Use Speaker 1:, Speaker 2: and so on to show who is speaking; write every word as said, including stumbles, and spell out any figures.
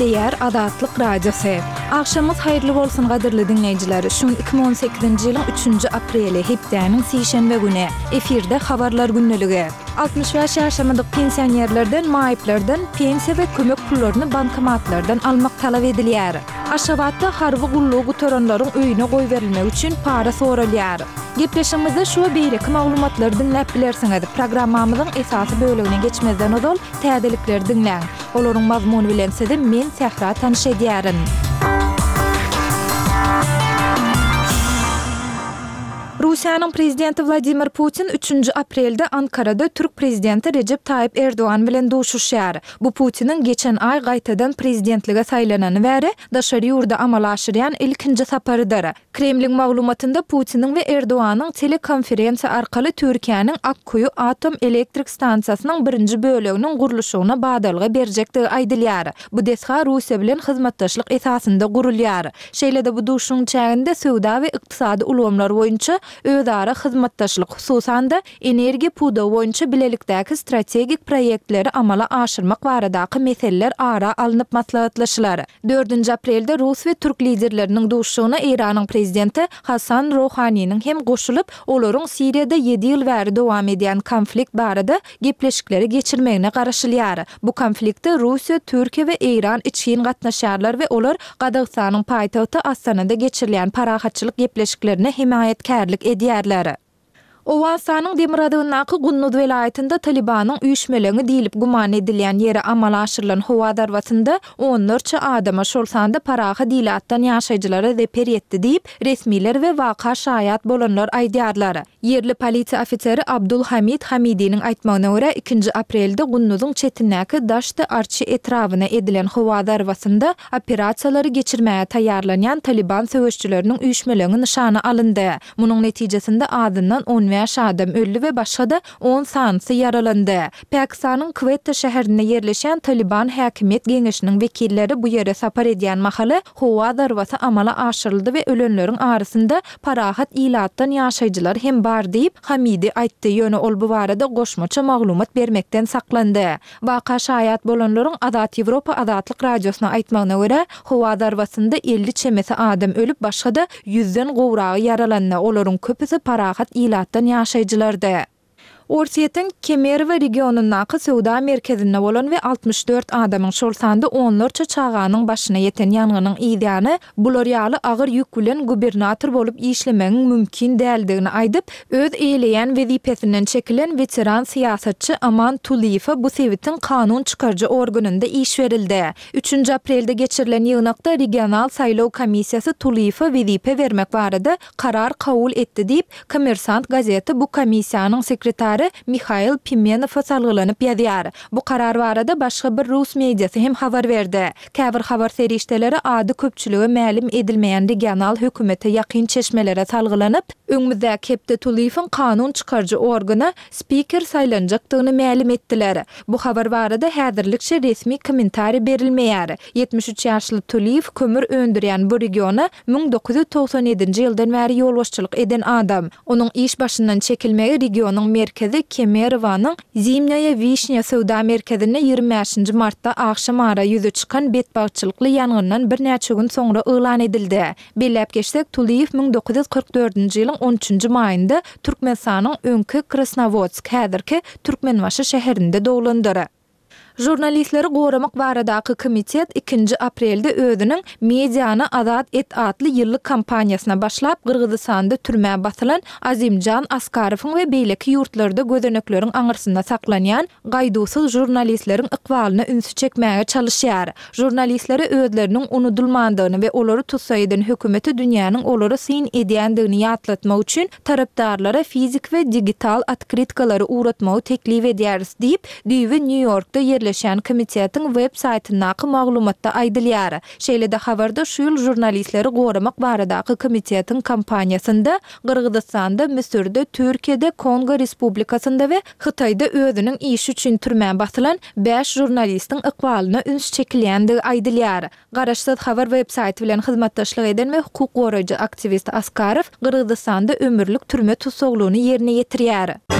Speaker 1: Gepleýär Azatlyk Radiosy. Agşamyňyz haýyrly bolsun gadyrly diňleýjiler. Şu gün iki müň on sekizinji ýylyň üçünji apreli, hepdäniň sişenbe güni. Efirde Habarlar gündeligi. Altmyş bäş ýaşamadyk pensionerlerden, maýyplardan pensiýa we kömek pullaryny bankomatlardan almak talap edilýär. Aşgabatda harby gullugy gutaranlaryň öýüne goýberilmegi üçin para soralýar. Gepleşigimizde şu we beýleki maglumatlary diňläp bilersiňiz. Programmamyzyň esasy bölegine geçmezden ozal, täzelikleri diňläň. Olaryň mazmuny bilen sizi men Sähra tanyş edýärin. Russiýanyň Prezidenti Wladimir Putin üçünji aprelde Ankarada türk Prezidenti Rejep Taýyp Erdogan bilen duşuşýar. Bu Putiniň geçen aý gaýtadan prezidentlige saýlanany bäri daşary ýurda amala aşyrýan ilkinji saparydyr. Kremliň maglumatynda Putiniň we Erdoganyň telekonferensiýa arkaly Türkiýäniň Akkuýu atom elektrik stansiýasynyň birinji böleginiň gurluşygyna badalga berjekdigi aýdylýar. Bu desga Russiýa bilen hyzmatdaşlyk esasynda gurulýar. Şeýle-de bu duşuşygyň çäginde söwda we ykdysady ulgamlar boýunça özara hyzmatdaşlyk, hususan-da, energiýa pudagy boýunça bilelikdäki strategik proýektleri amala aşyrmak baradaky meseleler ara alnyp maslahatlaşylar. Dördünji aprelde rus we türk liderleriniň duşuşygyna Eýranyň prezidenti Hasan Rohaniniň hem goşulyp, olaryň Siriýada ýedi ýyl bäri dowam edýän konflikt barada gepleşikleri geçirmegine garaşylýar. Bu konflikte Russiýa, Türkiýe we Eýran içgin gatnaşýarlar we olar Gazagystanyň paýtagty Astanada geçirilýän parahatçylyk gepleşiklerine hemaýatkärlik edýärler. Owganystanyň demirgazygyndaky Gunduz welaýatynda Talybanyň üýşmeleňi diýlip güman edilýän ýere amala aşyrylan howa zarbasynda onlarça adama, şol sanda parahat ilatdan ýaşaýjylara zeper ýetdi diýip, resmiler we waka şaýat bolanlar aýdýarlar. Ýerli polisiýa ofiseri Abdul Hamid Hamidiniň aýtmagyna görä, ikinji aprelde Gunduzyň çetindäki Daşty-Arçy etrabyna edilen howa zarbasynda operasiýalary geçirmäge taýýarlanýan Talyban söweşçileriniň üýşmeleňi nyşana alyndy. Munuň netijesinde azyndan on bäş adam öldi we başga-da on sanysy ýaralandy. Pakistanyň Kwetta şäherinde ýerleşýän Talyban häkimiýet geňeşiniň wekilleri bu ýere sapar edýän mahaly howa zarbasy amala aşyryldy we ölenleriň arasynda parahat ilatdan ýaşaýjylar hem bar diýip, Hamidi aýtdy, ýöne ol bu barada goşmaça maglumat bermekden saklandy. Waka şaýat bolanlaryň Azat Ýewropa Azatlyk Radiosyna aýtmagyna görä, howa zarbasynda elli çemesi adam ölüp, başga-da ýüzden gowragy ýaralandy, olaryň köpüsi parahat ilatdan ýaşaýjylardy. Orsýetiň Kemerowo regionyndaky söwda merkezinde bolan we altmyş dört adamyň, şol sanda onlarça çaganyň başyna ýeten ýangynyň yzýany bular ýaly agyr ýük bilen gubernator bolup işlemegiň mümkin däldigini aýdyp, öz eýeleýän wezipesinden çekilen weteran syýasatçy Aman Tulyýewe bu sebitiň kanun çykaryjy organynda iş berildi. Üçünji aprelde geçirilen ýygnakda regional saýlaw komissiýasy Tulyýewe wezipe bermek barada karar kabul etdi diýip, Kommersant gazeti bu komissiýanyň sekretary Mihail Pimenowa salgylanyp ýazýar. Bu karar barada başga bir rus mediasy hem habar berdi. Käbir habar serişdeleri ady köpçülige mälim edilmeýän regional hökümete ýakyn çeşmelere salgylanyp, öňümizdäki hepde Tulyýewiň kanun çykaryjy organa spiker saýlanjakdygyny mälim etdiler. Bu habar barada häzirlikçe resmi kommentariý berilmeýär. Ýetmiş üç ýaşly Tulyýew kömür öndürýän bu regiona müň dokuz ýüz togsan ýedinji ýyldan bäri ýolbaşçylyk eden adam. Onuň iş başyndan çekilmegi regionyň merkezi Kemerowanyň Zimnýaýa Wişnýa söwda merkezinde ýigrimi bäşinji martda agşam ara ýüze çykan betbagtçylykly ýangyndan birnäçe gün soňra yglan edildi. Belläp geçsek, Tulyýew müň dokuz ýüz kyrk dördünji ýylyň on üçünji maýynda Türkmenistanyň öňki Krasnowodsk, häzirki Türkmenbaşy şäherinde doglandyr. Žurnalistleri goramak baradaky komitet ikinji aprelde özüniň Mediany azat et atly ýyllyk kampaniýasyna başlap, Gyrgyzystanda türmä basylan Azimjan Askarowyň we beýleki ýurtlarda gözenekleriň aňyrsynda saklanýan gaýduwsyz žurnalistleriň ykbalyna ünsi çekmäge çalyşýar. Žurnalistlere özleriniň unudylmandygyny we olary tussag eden hökümete dünýäniň olara syn edýändigini ýatlatmak üçin tarapdarlara fiziki we digital otkrytkalary ugratmagy teklip edýäris diýip, düýbi Nýu-Ýorkda ýerleşýän komitetiň web saýtyndaky maglumatda aýdylýar. Şeýle-de habarda şu ýyl žurnalistleri goramak baradaky komitetiň kampaniýasynda Gyrgyzystanda, Müsürde, Türkiýede, Kongo Respublikasynda we Hytaýda özüniň işi üçin türmä basylan bäş žurnalistiň ykbalyna üns çekilýändigi aýdylýar. Garaşsyz habar web saýty bilen hyzmatdaşlyk eden we hukuk goraýjy aktiwist Askarow Gyrgyzystanda ömürlik türme tussaglygyny ýerine ýetirýär.